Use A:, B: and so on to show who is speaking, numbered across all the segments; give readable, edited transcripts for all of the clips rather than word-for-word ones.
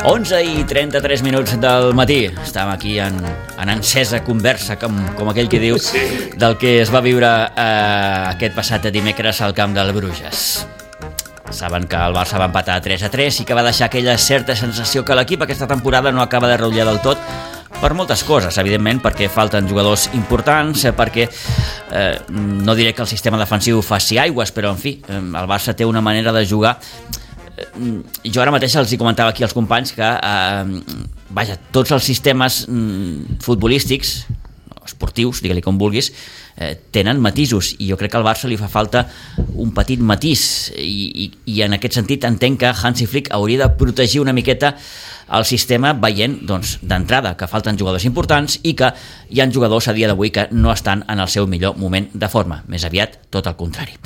A: 11:33 del matí. Estàvem aquí en encesa conversa, com aquell que diu, del que es va viure aquest passat dimecres al camp del Bruges. Saben que el Barça va empatar 3-3 i que va deixar aquella certa sensació que l'equip aquesta temporada no acaba de ratllar del tot, per moltes coses, evidentment, perquè falten jugadors importants, perquè no diré que el sistema defensiu faci aigües, però en fi, el Barça té una manera de jugar. Jo ara mateix els hi comentava aquí als companys que tots els sistemes futbolístics, esportius, digue-li com vulguis, tenen matisos, i jo crec que al Barça li fa falta un petit matís, i en aquest sentit entenc que Hansi Flick hauria de protegir una miqueta el sistema, veient d'entrada que falten jugadors importants i que hi ha jugadors a dia d'avui que no estan en el seu millor moment de forma, més aviat tot el contrari.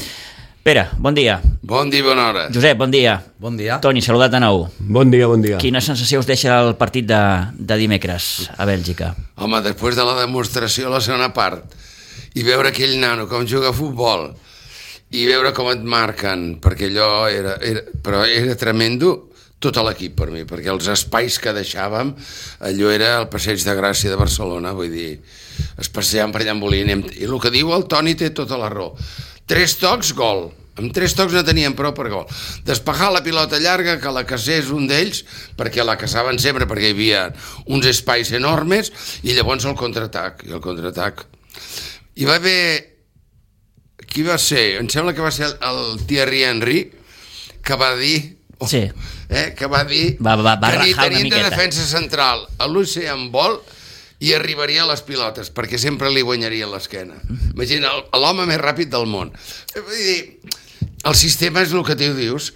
A: Pere, bon dia.
B: Bon dia, bona hora.
A: Josep, bon dia.
C: Bon dia.
A: Toni, saludat de nou.
D: Bon dia, bon dia.
A: Quina sensació us deixa el partit de dimecres a Bèlgica?
B: Home, després de la demostració a la segona part, i veure aquell nano com juga a futbol, i veure com et marquen, perquè allò era tremendo, tot l'equip per mi, perquè els espais que deixàvem, allò era el Passeig de Gràcia de Barcelona, vull dir, es passejaven per allà en Bolín, i el que diu el Toni té tota la raó. 3 tocs, gol. Amb 3 tocs no tenien prou per gol. Despejar la pilota llarga, que la caçés un d'ells, perquè la caçaven sempre, perquè hi havia uns espais enormes, i llavors el contraatac. I el contraatac... Hi va haver... Qui va ser? Em sembla que va ser el Thierry Henry, que va dir...
A: Sí.
B: Que va dir
A: va
B: que ni
A: rajar una
B: tenint de
A: miqueta.
B: defensa central a l'Usain Bolt i arribaria a les pilotes, perquè sempre li guanyaria l'esquena. Imagina, l'home més ràpid del món. Vull dir, el sistema és el que tu dius,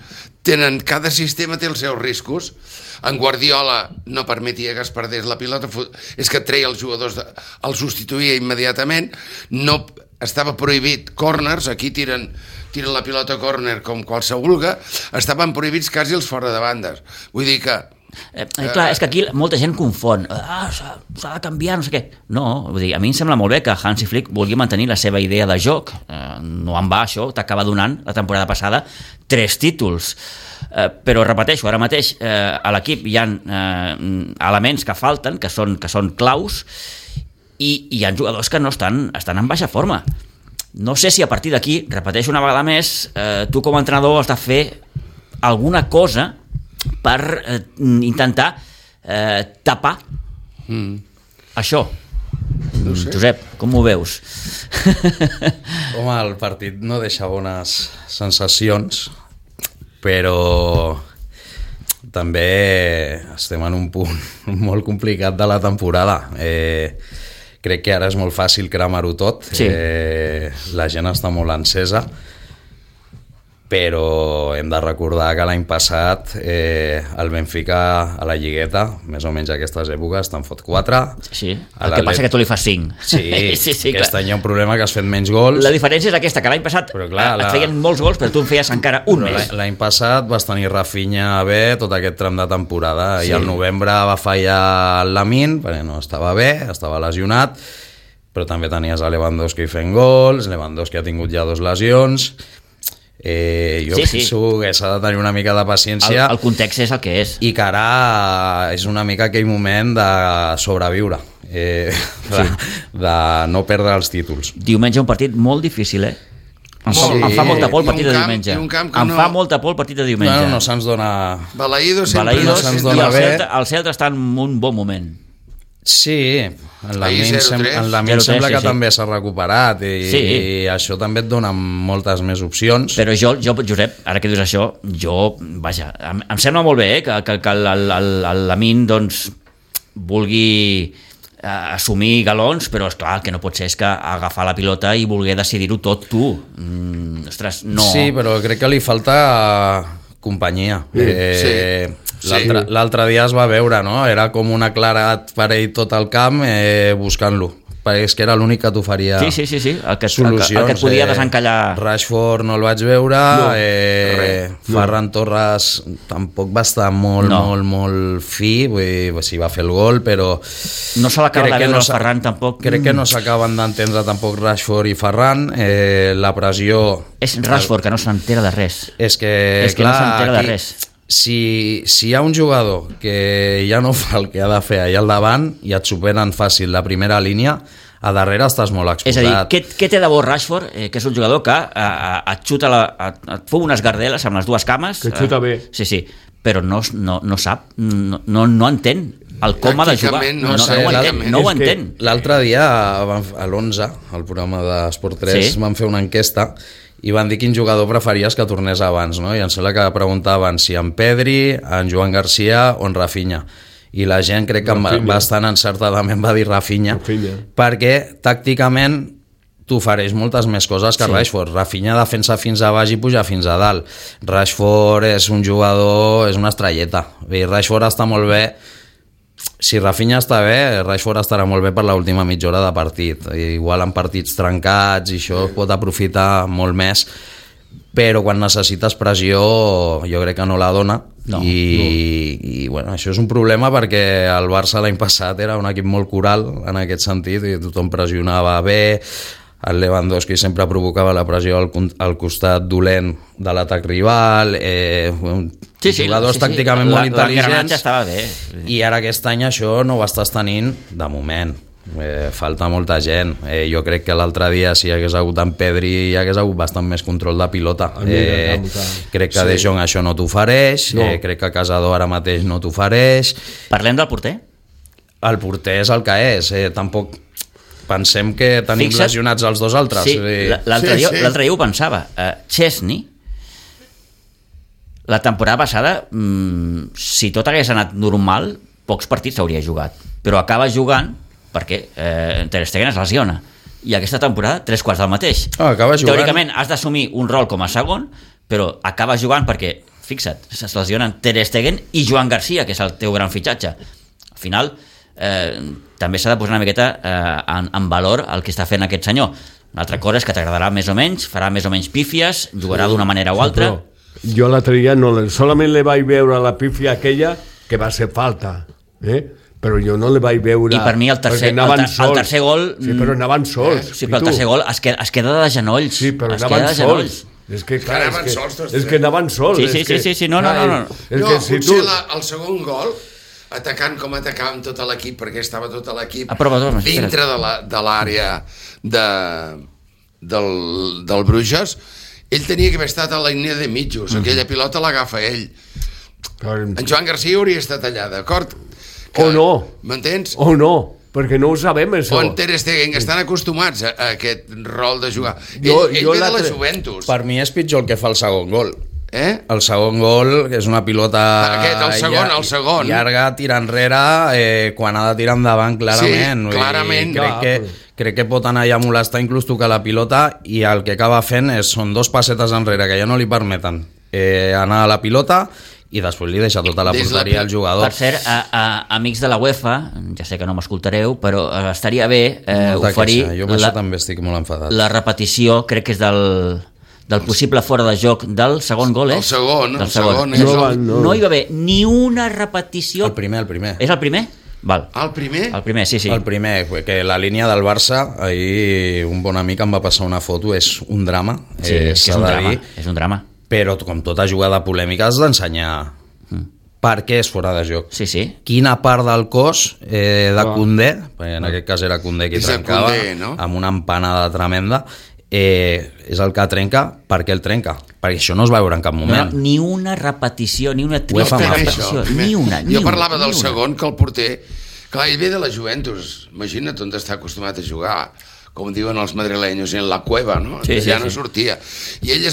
B: cada sistema té els seus riscos. En Guardiola no permetia que es perdés la pilota, és que treia els jugadors, el substituïa immediatament, no estava prohibit corners, aquí tiren la pilota a córner com qualsevol, estaven prohibits quasi els fora de bandes. Vull dir que
A: clar, és que aquí molta gent confon, s'ha de canviar, no sé què. No, vull dir, a mi em sembla molt bé que Hansi Flick vulgui mantenir la seva idea de joc, no en va això, t'acaba donant la temporada passada 3 títols, però repeteixo, ara mateix a l'equip hi ha elements que falten, que són claus, i hi ha jugadors que no estan en baixa forma. No sé si a partir d'aquí, repeteixo una vegada més, tu com a entrenador has de fer alguna cosa per intentar tapar això.
B: No sé.
A: Josep, com ho veus?
C: Home, el partit no deixa bones sensacions, però també estem en un punt molt complicat de la temporada. Crec que ara és molt fàcil cremar-ho tot.
A: Sí.
C: La gent està molt encesa, però hem de recordar que l'any passat el Benfica a la Lligueta, més o menys a aquestes èpoques, te'n fot 4.
A: Sí, el que passa que tu li fas 5.
C: Sí, aquest any hi ha un problema que has fet menys gols.
A: La diferència és aquesta, que l'any passat et feien molts gols, però tu en feies encara un més.
C: L'any passat vas tenir Rafinha bé tot aquest tram de temporada, i al novembre va fallar el Lamine, perquè no estava bé, estava lesionat, però també tenies a Lewandowski fent gols, Lewandowski ha tingut ja 2 lesions. Penso que s'ha de tenir una mica de paciència.
A: El context és el que és.
C: I que ara és una mica aquell moment de sobreviure, de no perdre els títols.
A: Diumenge un partit molt difícil, Em fa molta por el partit de diumenge. Em fa molta por el partit de diumenge.
C: No se'ns dona...
B: Balaïdos sempre
C: no se'ns dona bé.
A: El Celta està en un bon moment.
C: Sí, en Lamine sembla que també s'ha recuperat, i això també et dona moltes més opcions.
A: Però jo, Josep, ara que dius això, em sembla molt bé que el Lamine vulgui assumir galons, però és clar, el que no pot ser és que agafar la pilota i voler decidir-ho tot tu. Ostres, no.
C: Sí, però crec que li falta companyia. L'altre dia es va veure, no? Era com una claredat per ell tot el camp buscant-lo. és que era l'únic que t'oferia
A: solucions. El que et podia desencallar.
C: Rashford no el vaig veure, Ferran Torres tampoc va estar molt fi, vull dir, sí, va fer el gol, però
A: no se l'acaba de veure el Ferran tampoc.
C: Crec que no s'acaben d'entendre tampoc Rashford i Ferran. La pressió...
A: És Rashford que no s'entera de res.
C: És que
A: clar, no s'entera de res.
C: si hi ha un jugador que ja no fa el que ha de fer allà al davant i et superen fàcil la primera línia, a darrere estàs molt exposat.
A: És a dir, què té de bo Rashford, que és un jugador que et xuta, et fou unes gardeles amb les dues cames.
D: Que xuta bé.
A: Sí, però no sap, no entén el com ha de jugar. No ho entén.
C: L'altre dia, a l'11, al programa d'Esport 3, van fer una enquesta i van dir quin jugador preferies que tornés abans, no? I em sembla que preguntaven si en Pedri, en Joan Garcia o en Rafinha. I la gent crec que bastant encertadament va dir Rafinha, perquè tàcticament t'ofereix moltes més coses que Rashford. Rafinha defensa fins a baix i puja fins a dalt. Rashford és un jugador, és una estrelleta. Rashford està molt bé. Si Rafinha està bé, Rashford estarà molt bé per l'última mitja hora de partit. Igual en partits trencats i això pot aprofitar molt més, però quan necessites pressió jo crec que no la dona. I bueno, això és un problema perquè el Barça l'any passat era un equip molt coral en aquest sentit i tothom pressionava bé, el Lewandowski sempre provocava la pressió al costat dolent de l'atac rival, jugadors tàcticament molt intel·ligents, i ara aquest any això no ho estàs tenint de moment. Falta molta gent. Jo crec que l'altre dia si hi hagués hagut en Pedri hi hagués hagut bastant més control de pilota. Crec que De Jong això no t'ofereix, crec que Casador ara mateix no t'ofereix.
A: Parlem del porter?
C: El porter és el que és, tampoc pensem que tenim lesionats els dos altres.
A: L'altre dia ho pensava. Chesney, la temporada passada, si tot hagués anat normal, pocs partits s'hauria jugat, però acaba jugant perquè Ter Stegen es lesiona i aquesta temporada 3/4 del mateix. Teòricament has d'assumir un rol com a segon, però acaba jugant perquè, fixa't, es lesionen Ter Stegen i Joan Garcia, que és el teu gran fitxatge. Al final també s'ha de posar una miqueta en valor el que està fent aquest senyor. Una altra cosa és que t'agradarà més o menys, farà més o menys pífies, jugarà d'una manera o altra.
D: Jo l'altre dia solament le vaig veure la pífia aquella que va ser falta, però jo no le vaig veure...
A: I per mi el tercer gol...
D: Sí, però anaven sols.
A: Sí, però el tercer gol es queda de genolls.
D: Sí, però anaven sols. És que anaven sols.
A: Sí, no.
B: Potser el segon gol, atacant com atacàvem tot l'equip, perquè estava tot l'equip dintre de l'àrea del Bruges, ell tenia que haver estat a la línia de mitjos. Aquella pilota l'agafa ell. En Joan Garcia hauria estat allà, d'acord?
D: O no.
B: M'entens?
D: O no, perquè no ho sabem, això.
B: O en Ter Stegen, que estan acostumats a aquest rol de jugar. Ell ve de la Juventus.
C: Per mi és pitjor el que fa el segon gol. El segon gol, que és una pilota
B: el segon
C: llarga, tira enrere, quan ha de tirar endavant, clarament.
B: Sí, clarament.
C: Crec que pot anar allà a molestar, inclús tocar la pilota, i el que acaba fent són dos passetes enrere que ja no li permeten anar a la pilota, i després li deixa tota la porteria al jugador.
A: Per cert, amics de la UEFA, ja sé que no m'escoltareu, però estaria bé oferir
C: jo per això també estic molt enfadat.
A: La repetició, crec que és del possible fora de joc del segon gol,
B: El segon.
A: No hi va haver ni una repetició.
C: El primer.
A: És el primer? Val.
B: El primer?
A: El primer, sí.
C: El primer, que la línia del Barça, ahir un bon amic em va passar una foto, és un drama.
A: Sí, és un drama.
C: Però com tota jugada polèmica has d'ensenyar per què és fora de joc.
A: Sí.
C: Quina part del cos de Koundé, en aquest cas era Koundé qui trencava, amb una empanada tremenda, és el que trenca. Per què el trenca? Perquè això no es va veure en cap moment.
A: Ni una repetició, ni una trista repetició, ni una.
B: Jo parlava del segon, que el porter, clar, ell ve de la Juventus, imagina't on està acostumat a jugar, com diuen els madrilenyos, en la cueva, no? Ja no sortia. I ell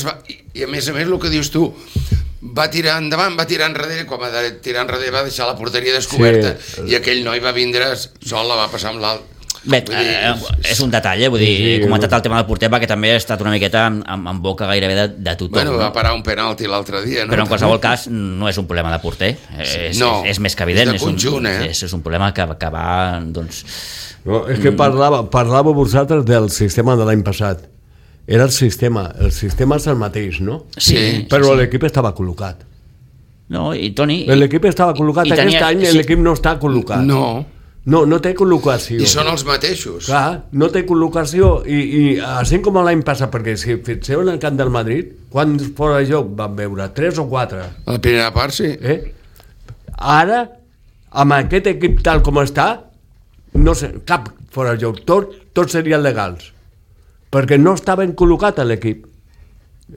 B: i a més el que dius tu, va tirar endavant, va tirar enrere, quan va tirar enrere va deixar la porteria descoberta, i aquell noi va vindre sol, la va passar amb l'alt.
A: Bé, és un detall, vull dir, he comentat el tema del porter perquè també ha estat una miqueta en boca gairebé de tothom.
B: Bueno, va parar un penalti l'altre dia, no?
A: Però en qualsevol cas no és un problema de porter, és més que evident.
B: És de conjunt,
A: és un problema que va, doncs...
D: No, és que parlàveu vosaltres del sistema de l'any passat. Era el sistema és el mateix, no?
B: Sí.
D: Però l'equip estava col·locat.
A: No, i Toni...
D: L'equip estava col·locat, aquest any l'equip no està col·locat.
B: No.
D: No té col·locació.
B: I són els mateixos.
D: Clar, no té col·locació i així com l'any passat, perquè si fixeu en el camp del Madrid, quants fora de joc van veure? 3 o 4?
B: A la primera part, sí.
D: Ara, amb aquest equip tal com està, no sé, cap fora de joc, tots serien legals, perquè no està ben col·locat a l'equip.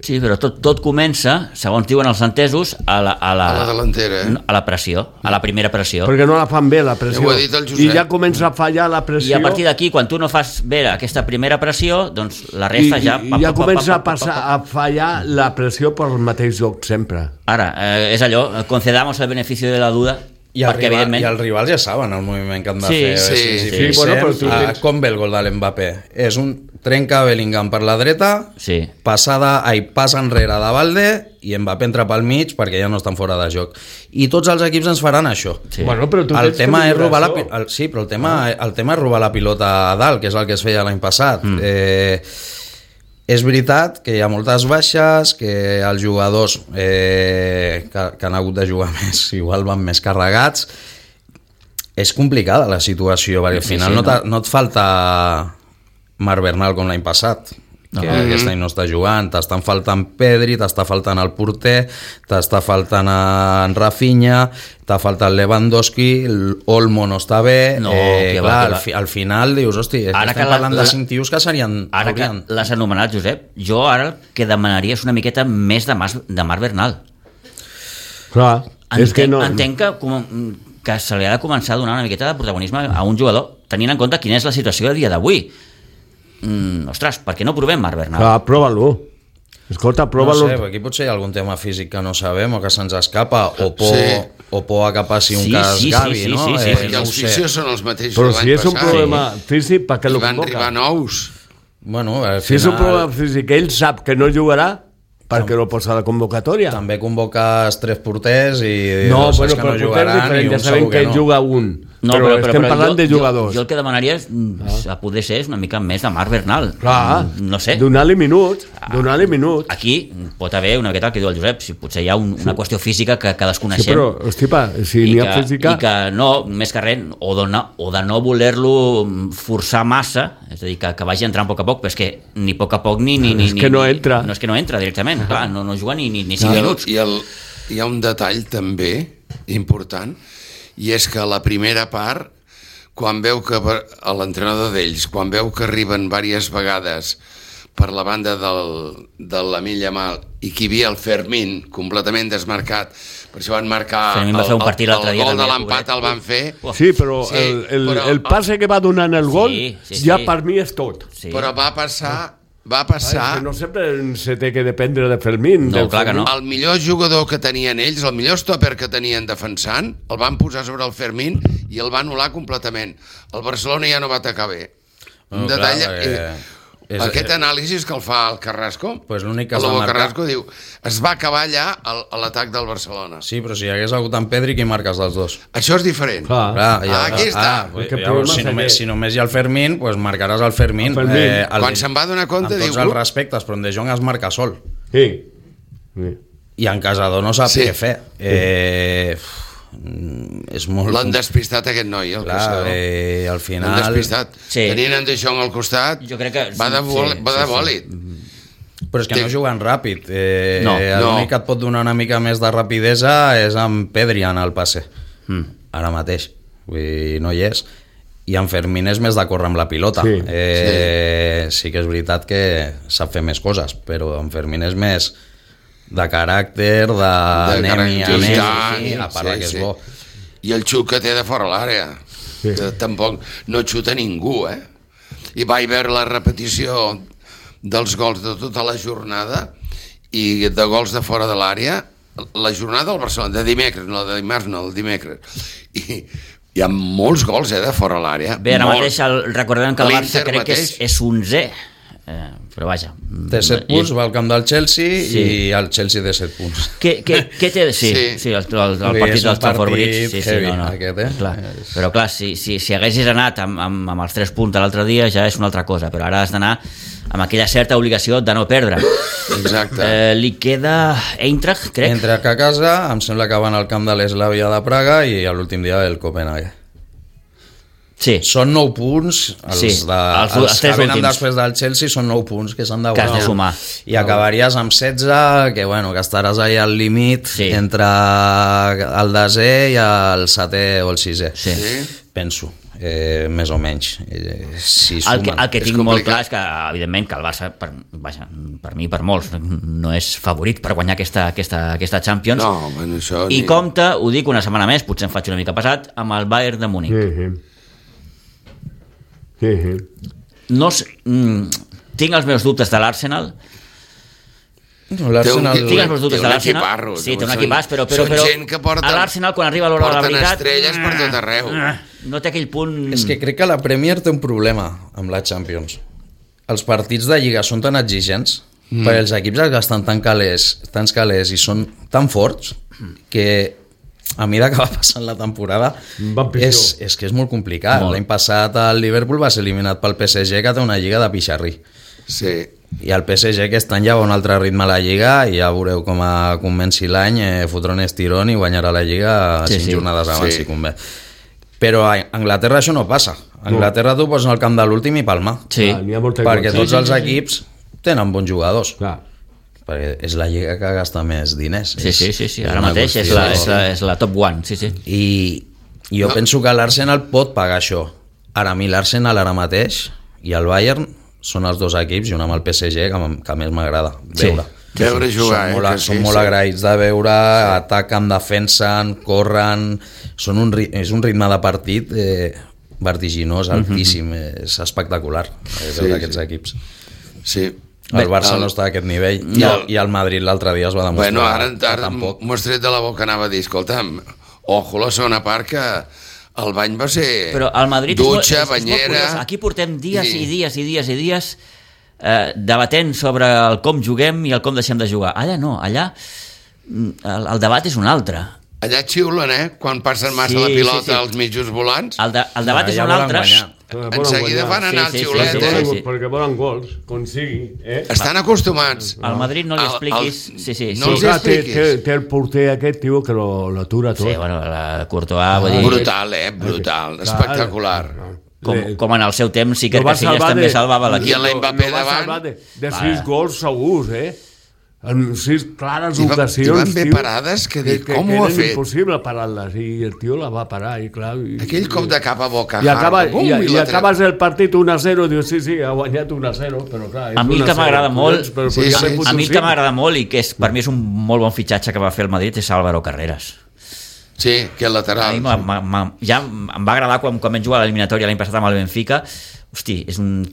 A: Sí, però tot comença, segons diuen els entesos, a la
B: delantera,
A: a la pressió, a la primera pressió.
D: Perquè no la fan bé, la pressió.
B: Ho ha dit el Josep.
D: I ja comença a fallar la pressió.
A: I a partir d'aquí, quan tu no fas bé aquesta primera pressió, doncs la resta ja...
D: I ja comença a fallar la pressió pel mateix joc, sempre.
A: Ara, és allò, concedamos el beneficio de la duda, perquè evidentment...
C: I els rivals ja saben el moviment que han de fer.
B: Sí,
C: bueno, però com ve el gol de l'Mbappé? És un trenca Bellingham per la dreta, passa enrere de Valde i Mbappé entra pel mig perquè ja no estan fora de joc. I tots els equips ens faran això.
D: Sí. Bueno, però
C: el tema és robar el tema és robar la pilota a dalt, que és el que es feia l'any passat. És veritat que hi ha moltes baixes, que els jugadors que han hagut de jugar més igual van més carregats. És complicada la situació, perquè al final no et falta Marc Bernal com l'any passat, que aquest any no està jugant, t'estan faltant Pedri, t'està faltant el porter, t'està faltant en Rafinha, t'ha faltat Lewandowski, Olmo no està bé, al final dius, hosti, estem parlant de 5 tios que serien...
A: Ara que l'has anomenat, Josep, jo ara el que demanaria és una miqueta més de Marc Bernal.
D: Clar, és que no...
A: Entenc que se li ha de començar a donar una miqueta de protagonisme a un jugador, tenint en compte quina és la situació a dia d'avui. Ostres, per què no provem Marc Bernal?
D: Clar, prova-lo. Escolta, prova-lo.
C: No sé, aquí potser hi ha algun tema físic que no sabem o que se'ns escapa, o por a que passi un cas Gavi, no?
B: I els fisios són els mateixos
D: però si és un problema físic, per què lo convoca?
B: Van arribar nous.
C: Bueno,
D: si és un problema físic, ell sap que no jugarà, perquè lo posa a la convocatòria.
C: També convoques 3 porters i
D: no, bueno, però no jugaran, i ja sabem que juga un. No, però estem parlant de jugadors.
A: Jo el que demanaria és, a poder ser, una mica més de Marc Bernal.
D: Clar,
A: no sé.
D: Donar-li minuts.
A: Aquí pot haver una miqueta el que diu el Josep, si potser hi ha una qüestió física que desconeixem.
D: Sí, però, hostipa, si n'hi ha física...
A: I que no, més que res, o de no voler-lo forçar massa, és a dir, que vagi entrant a poc a poc, però és que ni a poc a poc ni...
D: És que no entra.
A: No és que no entra directament, clar, no juga ni 5 minuts.
B: I hi ha un detall també important, i és que la primera part, quan veu que l'entrenador d'ells, quan veu que arriben diverses vegades per la banda de l'Lamine Yamal i que hi havia el Fermín completament desmarcat, per això van marcar el gol de l'empat, el van fer.
D: Sí, però el passe que va donar en el gol ja per mi és tot.
B: Però va passar...
D: no sempre se té que dependre de Fermín.
A: No, clar que no.
B: El millor jugador que tenien ells, el millor stopper que tenien defensant, el van posar sobre el Fermín i el va anul·lar completament. El Barcelona ja no va atacar bé. Un detall... Aquest anàlisi que el fa el Carrasco, Carrasco diu, es va acabar allà l'atac del Barcelona.
C: Sí, però si hi hagués hagut en Pedri, qui marques dels dos?
B: Això és diferent. Aquí està.
C: Si només hi ha el Fermín, doncs marcaràs el Fermín.
B: Quan se'n va donar compte,
C: diu... Amb tots els respectes, però en De Jong es marca sol.
D: Sí.
C: I en Casado no sap què fer.
B: L'han despistat aquest noi, el Caçador.
C: Al final...
B: L'han despistat. Tenint en De Jong al costat, va de bòlit.
C: Però és que no juguen ràpid. L'únic que et pot donar una mica més de rapidesa és amb Pedri en el passe. Ara mateix. No hi és. I en Fermín és més de córrer amb la pilota. Sí que és veritat que sap fer més coses, però en Fermín és més... de caràcter, a part que és bo.
B: I el xut que té de fora l'àrea. Tampoc no xuta ningú, I vaig veure la repetició dels gols de tota la jornada i de gols de fora de l'àrea, la jornada del Barcelona, de dimecres, no de dimarts, no, el dimecres. I hi ha molts gols, de fora l'àrea.
A: Bé, ara mateix recordem que el Barça crec que és 11è. Però vaja,
C: té 7 punts, va al camp del Chelsea i el Chelsea té 7 punts.
A: Què té? Sí, el partit dels Stamford Bridge. Però clar, si haguessis anat amb els 3 punts l'altre dia ja és una altra cosa, però ara has d'anar amb aquella certa obligació de no perdre.
B: Exacte.
A: Li queda Eintracht, crec.
C: Eintracht a casa, em sembla que van al camp de l'Eslavia de Praga i l'últim dia el Copenhague.
A: Sí.
C: Són 9 punts, els
A: Sí, els
C: que
A: tres
C: venen
A: últims.
C: després del Chelsea són 9 punts que s'han de
A: Que has de
C: guanyar.
A: sumar.
C: I acabaries amb 16, que estaràs allà al límit
A: Sí.
C: entre el desè i el setè o el sisè.
A: Sí.
C: Penso, més o menys. Si
A: El que
C: sumen.
A: tinc molt clar és que, evidentment, que el Barça, per mi i per molts, no és favorit per guanyar aquesta Champions.
B: No, bueno, això...
A: I compta, ho dic una setmana més, potser em faig una mica passat, amb el Bayern de Múnich. No sé, tinc els meus dubtes de l'Arsenal.
C: No, l'Arsenal...
A: Tinc els meus dubtes
B: té
A: de
B: un
A: l'Arsenal.
B: equiparro,
A: Sí, té un
B: són-
A: equipàs, però
B: són gent que porten-
A: a l'Arsenal, quan arriba l'hora de la
B: porten
A: veritat...
B: estrelles per tot arreu.
A: No té aquell punt...
C: És que crec que la Premier té un problema amb la Champions. Els partits de Lliga són tan exigents perquè els equips que estan tan calés i són tan forts que a mesura que va passant la temporada
D: Van pitjor.
C: és que és molt complicat.
A: Molt.
C: L'any passat el Liverpool va ser eliminat pel PSG, que té una lliga de pixarrí.
B: Sí.
C: I el PSG aquest any ja va un altre ritme a la Lliga i ja veureu com comenci l'any, fotrà un estirón i guanyarà la Lliga 5 jornades abans, si convé. Però a Anglaterra això no passa. A Anglaterra tu pots anar al camp de l'últim i palmar.
A: Sí.
D: N'hi ha molta
C: Perquè
D: igual.
C: tots els equips tenen bons jugadors.
D: Clar.
C: Perquè és la lliga que gasta més diners.
A: Sí. Ara
C: una
A: mateix és
C: qüestió-
A: és la top one, sí.
C: I jo penso que l'Arsenal pot pagar això. Ara, a mi l'Arsenal ara mateix i el Bayern són els dos equips, junt amb el PSG, que més m'agrada veure.
B: Veure jugar,
C: Són molt agraïts de veure, ataquen, defensen, corren... És un ritme de partit vertiginós, altíssim, és espectacular veure aquests equips.
B: Sí.
C: El Barça no està a aquest nivell i el Madrid l'altre dia es va demostrar
B: Bueno, ara
C: tampoc.
B: m'ho has tret de la boca, anava a dir, escolta'm, ojo la segona part que el bany va ser
A: Però el Madrid
B: dutxa,
A: és molt
B: banyera...
A: curiós. Aquí portem dies i dies debatent sobre el com juguem i el com deixem de jugar. Allà no, allà el debat és un altre.
B: Allà xiulen, quan passen massa
A: Sí,
B: la pilota
A: sí.
B: als mitjos volants.
A: El debat és
C: ja
A: un
C: volen
A: altre.
C: guanyar.
B: En seguida fan anar
A: Sí,
B: el
A: sí,
B: xiulet,
A: sí, sí, sí.
D: Perquè volen gols, com sigui.
B: Estan acostumats.
A: Al Madrid no li expliquis... Sí.
B: No els
D: Clar, té
B: expliquis.
D: el porter aquest, tio, que l'atura tot.
A: Sí, bueno, la Courtois, vull dir...
B: Brutal, brutal, espectacular.
A: Com en el seu temps, sí que
D: Lo va
A: Casillas
D: salvar
A: també
D: de-
A: salvava
B: I
A: l'equip.
B: l'Mbappé
D: Lo va
B: davant.
D: salvar de 6 gols segurs, en 6 clares
B: I van
D: ocasions,
B: bé
D: tio,
B: parades que dic, com ho ha
D: era
B: fet?
D: impossible parar-les, i el tio la va parar, i clar...
B: Aquell cop de cap a boca.
D: I,
B: i
D: acabes el partit 1-0, dius, sí, ha guanyat 1-0, però clar... és
A: A mi el que
D: 1-0,
A: m'agrada molt,
D: però
B: sí,
D: ja
B: sí,
D: m'he
A: a mi el
D: fotut
A: que m'agrada molt i que per mi és un molt bon fitxatge que va fer el Madrid és Álvaro Carreras.
B: Sí, que el
A: A mi
B: lateral.
A: ja em va agradar quan vam jugar a l'eliminatòria l'any passat amb el Benfica. Hosti, és un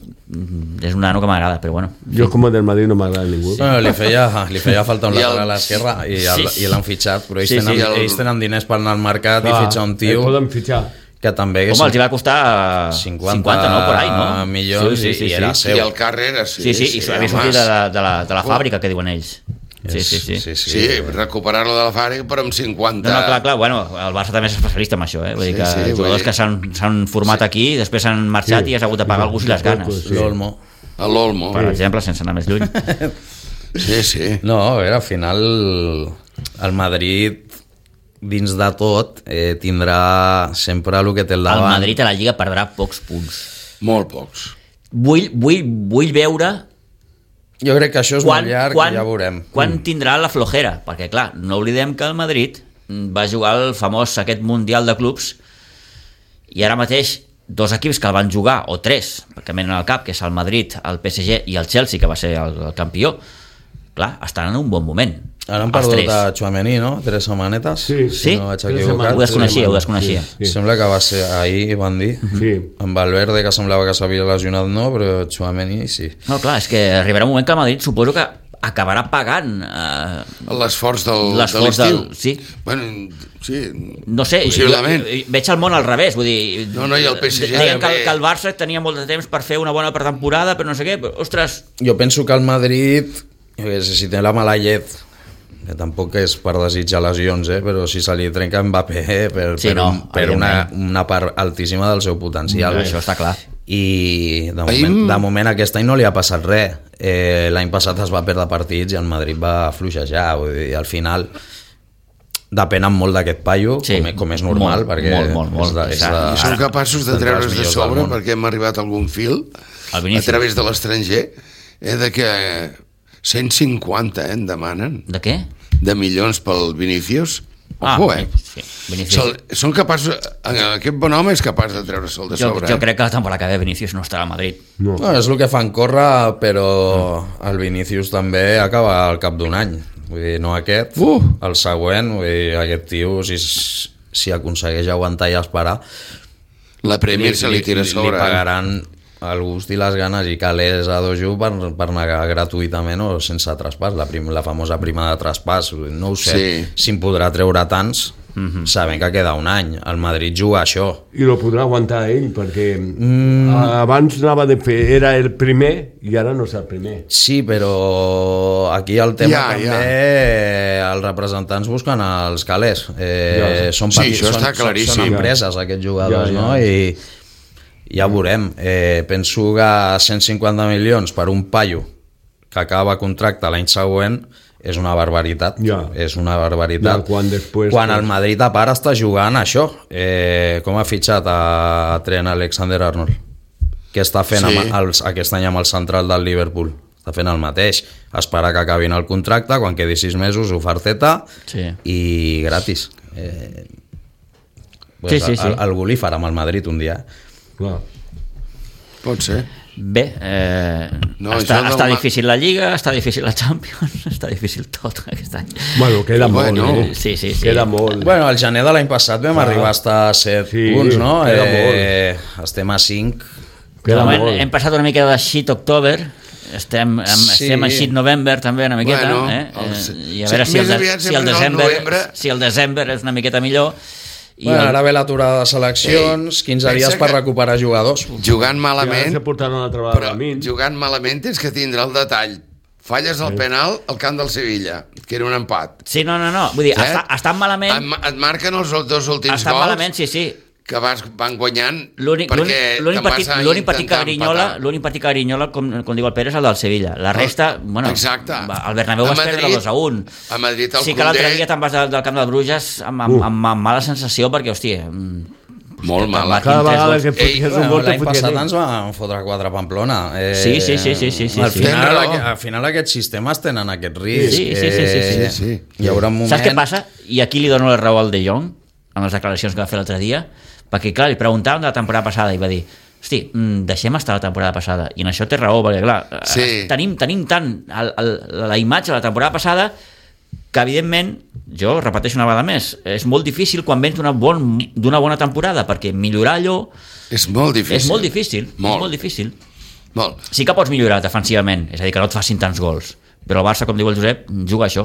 A: nano que m'agrada, però bueno.
D: Jo com a del Madrid no m'agrada ningú.
C: Bueno, li feia falta un
B: I el-
C: lateral a l'esquerra i l'han fitxat, però ells,
A: Sí,
C: tenen,
A: sí,
C: ells tenen diners per anar al mercat i fitxar un tio
D: Poden fitxar.
C: que també
A: Home, els hi va costar 50 no? Por ahí, no?
C: milions i era seu.
B: I el Carreras, sí.
A: Sí, i havia sortit de la fàbrica, que diuen ells. Sí.
B: Sí, recuperar-lo de la fàbrica, però amb 50...
A: No, clar, bueno, el Barça també és especialista en això, vull dir que
B: Sí,
A: jugadors
B: vull dir-
A: que s'han format aquí, després s'han marxat i has hagut de pagar algú si les ganes.
D: Sí.
C: L'Olmo.
B: A l'Olmo.
A: Per exemple, sense anar més lluny.
B: Sí.
C: No, a veure, al final el Madrid dins de tot tindrà sempre el que té al
A: El
C: davant.
A: Madrid a la Lliga perdrà pocs punts.
B: Molt pocs.
A: Vull veure
C: Jo crec que això és molt llarg i ja veurem.
A: quan tindrà la flojera, perquè clar, no oblidem que el Madrid va jugar el famós aquest Mundial de Clubs i ara mateix dos equips que el van jugar, o tres, perquè venen al cap, que és el Madrid, el PSG i el Chelsea, que va ser el campió, clar, estan en un bon moment.
C: Ara han
A: Els
C: perdut
A: tres.
C: a Tchouaméni, no? 3 setmanetes.
D: Sí.
A: Sí?
C: No vaig
D: Tres
C: equivocar.
D: setmanes.
A: Ho desconeixia.
D: Sí.
C: Sembla que va ser ahir, van dir.
D: Sí.
C: Amb Valverde, que semblava que s'havia lesionat, no, però Tchouaméni sí.
A: No, clar, és que arribarà un moment que el Madrid suposo que acabarà pagant
B: L'esforç de
A: l'esforç
B: l'estiu.
A: sí.
B: Bueno, sí,
A: No sé,
B: possiblement.
A: jo veig el món al revés, vull dir...
B: No, i el PSG
A: deien
B: també.
A: que el Barça tenia molt de temps per fer una bona pretemporada, però no sé què, però, ostres,
C: Jo penso que el Madrid, jo què sé, si té la mala llet, que tampoc és per desitjar lesions, però si se li trenca Mbappé
A: Sí, no,
C: per
A: evidentment.
C: una part altíssima del seu potencial.
A: això està clar.
C: I de moment aquest any no li ha passat res. L'any passat es va perdre partits i el Madrid va fluixejar, vull dir, al final depenen molt d'aquest paio,
A: Sí,
C: com és normal,
A: molt,
C: perquè
A: molt.
B: I són capaços de treure's de sobre, perquè hem arribat a algun fil, a través de l'estranger, de que 150 en demanen.
A: De què?
B: De milions pel Vinícius. Ojo,
A: sí, Vinícius.
B: Són capaços... Aquest bon home és capaç de treure-se'l de sobre.
A: Jo crec que la temporada que ve Vinícius no estarà a Madrid.
C: No, és el que fan córrer, però el Vinícius també acaba al cap d'un any. Vull dir, no aquest, el següent, vull dir, aquest tio, si aconsegueix aguantar i esperar,
B: la Premier se li tira a sobre.
C: Li pagaran el gust i les ganes i calés a Dojo per negar gratuïtament o sense traspàs, la famosa prima de traspàs. No ho sé si en podrà treure tants, sabent que queda un any. El Madrid juga a això.
D: I lo podrà aguantar ell, perquè abans anava de fer, era el primer i ara no és el primer.
C: Sí, però aquí el tema també, els representants busquen els calés. Són empreses, aquests jugadors, no? I ja veurem. Penso que 150 milions per un paio que acaba contracte l'any següent és una barbaritat. És una barbaritat. Quan el Madrid a part està jugant això, com ha fitxat a Trent Alexander-Arnold, que està fent aquest any amb el central del Liverpool. Està fent el mateix, esperar que acabin el contracte, quan quedi 6 mesos, oferteta i gratis. Algú li farà amb el Madrid un dia.
D: Clar.
B: Pot ser.
A: Bé, està difícil la Lliga, està difícil la Champions, està difícil tot aquest any.
D: Bueno, queda molt, no?
A: Sí.
D: Queda molt.
C: Bueno, el gener de l'any passat vam arribar a estar a 7 punts, no?
D: Queda molt.
C: Estem a 5.
A: Hem passat una mica de shit-october, estem a shit-november també una miqueta, i a veure si el desembre és una miqueta millor.
C: Ara ve l'aturada de seleccions, 15 dies per recuperar jugadors.
B: Jugant malament,
D: però
B: jugant malament tens que tindre el detall. Falles el penal al camp del Sevilla, que era un empat.
A: Sí, no. Vull dir, estan malament...
B: Et marquen els dos últims gols.
A: Estan malament, sí.
B: Que van guanyant
A: l'únic partit que Grinyola, com diu el Pere, és el del Sevilla. La resta, bueno, el Bernabéu vas perdre 2-1.
B: A Madrid el
A: sí que l'altre dia te'n vas del camp del Bruges amb mala sensació, perquè, hòstia...
B: Molt mala.
D: Cada vegada que foties un gol...
C: L'any passat ens van fotre 4 a Pamplona.
A: Sí.
C: Al final aquests sistemes tenen aquest risc.
A: Sí.
C: Hi haurà un moment...
A: Saps què passa? I aquí li dono la raó al De Jong, amb les declaracions que va fer l'altre dia, perquè, clar, li preguntàvem de la temporada passada i va dir, hosti, deixem estar la temporada passada, i en això té raó, perquè, clar, tenim tant la imatge de la temporada passada que, evidentment, jo repeteixo una vegada més, és molt difícil quan vens d'una bona temporada, perquè millorar allò
B: és molt difícil.
A: Molt. Sí que pots millorar defensivament, és a dir, que no et facin tants gols, però el Barça, com diu el Josep, juga això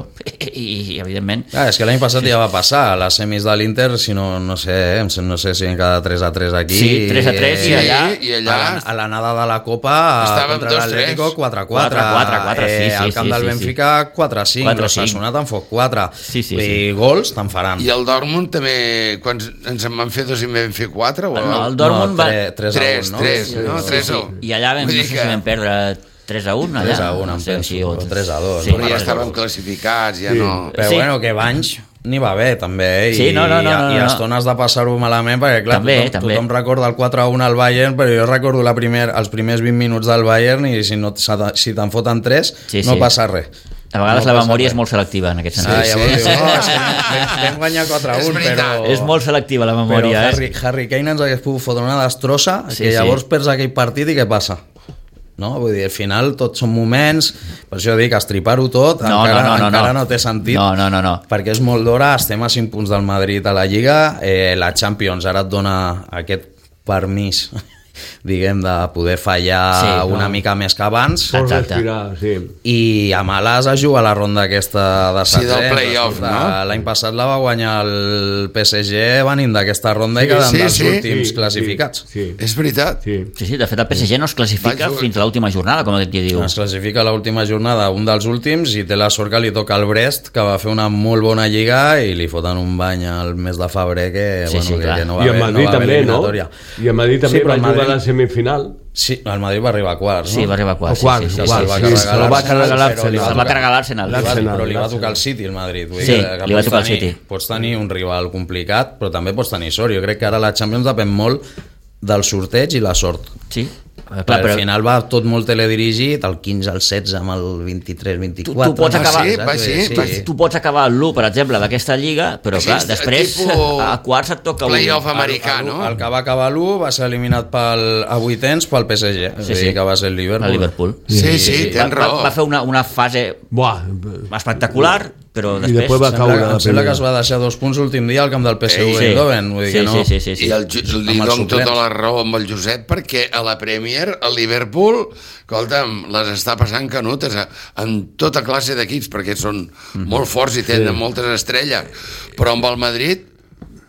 A: i evidentment...
C: És que l'any passat ja va passar a les semis de l'Inter, si no sé si en cada 3-3 aquí...
A: Sí, 3-3 i allà...
C: A l'anada de la Copa contra l'Atlético 4-4.
A: 4-4, sí.
C: Al camp del Benfica 4-5, l'Osasuna te'n fot 4. I gols te'n faran.
B: I el Dortmund també, quan ens en van fer 2 i en vam fer 4?
A: No, el Dortmund va...
B: 3-1.
A: I allà no sé si vam perdre 3-1 allà.
C: 3-1 em penso, o 3-2.
B: Però ja estàvem classificats, ja no...
C: Però bueno, que Banys n'hi va bé també,
A: i
C: a estones de passar-ho malament, perquè clar, tothom recorda el 4-1 al Bayern, però jo recordo els primers 20 minuts del Bayern, i si te'n foten 3 no passa res.
A: A vegades la memòria és molt selectiva en aquest sentit.
C: Vam guanyar 4-1, però...
A: És molt selectiva la memòria.
C: Però Harry Kane ens hagués pogut fotre una destrossa, que llavors perds aquell partit i què passa? No? Vull dir, al final tot són moments, per això dic, estripar-ho tot encara no té sentit,
A: no.
C: perquè és molt d'hora, estem a 5 punts del Madrid a la Lliga, la Champions ara et dona aquest permís, diguem, de poder fallar una mica més que abans. I a males es juga la ronda aquesta de
B: del play-off, no?
C: L'any passat la va guanyar el PSG venint d'aquesta ronda i quedant dels últims classificats.
B: És veritat.
A: Sí, de fet el PSG no es classifica fins a l'última jornada, com aquí diu.
C: Es classifica a l'última jornada, un dels últims, i té la sort que li toca al Brest, que va fer una molt bona lliga i li foten un bany al mes de febrer que no va haver eliminatòria.
D: I a Madrid també, no? I a Madrid també va jugar arribar a la semifinal.
C: Sí, el Madrid va arribar a quarts, no?
A: Sí, va arribar a quarts.
D: O quarts,
A: sí.
C: Se'l va
D: sí,
C: carregar
D: se'l va carregar
C: l'Arsenal,
A: Se'l va carregar l'Arsenal.
C: Però li va tocar el City, el Madrid. Vull
A: Sí,
C: dir que
A: li va tocar el
C: pots
A: City.
C: Pots tenir un rival complicat, però també pots tenir sort. Jo crec que ara la Champions depèn molt del sorteig i la sort.
A: Sí,
C: Clar, al final va tot molt teledirigit, el 15 al 16 amb el 23-24.
A: Tu pots acabar,
B: tu
A: pots acabar l'1, per exemple, d'aquesta lliga, però clar, després a quarts et toca
B: playoff americà, no?
C: El que va acabar l'1 va ser eliminat a vuitens pel PSG, que va ser el Liverpool.
A: El Liverpool.
B: Sí, tens raó.
A: Va fer una fase espectacular, però després...
C: Em sembla que es va deixar 2 punts l'últim dia al camp del PSV Eindhoven.
A: Sí.
B: I li dono tota la raó amb el Josep, perquè a la Premier, el Liverpool, escolta'm, les està passant canutes en tota classe d'equips, perquè són molt forts i tenen moltes estrelles, però amb el Madrid,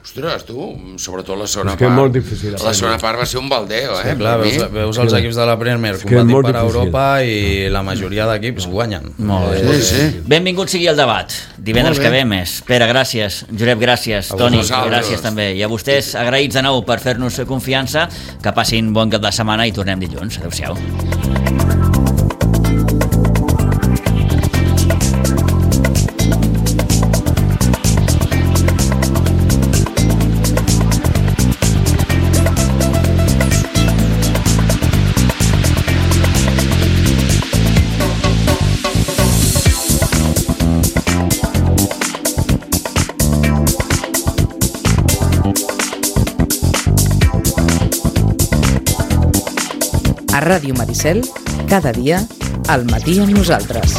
B: ostres, tu, sobretot la segona part.
D: molt difícil.
B: La segona part va ser un baldeo, eh?
C: Clar, veus els equips de la Premier competint per Europa i la majoria d'equips guanyen.
A: Molt bé.
B: Sí.
A: Benvingut sigui el debat. Divendres que ve més. Pere, gràcies. Josep, gràcies. Toni, gràcies també. I a vostès, agraïts de nou per fer-nos confiança. Que passin bon cap de setmana i tornem dilluns. Adéu-siau.
E: A Ràdio Maricel, cada dia, al matí amb nosaltres.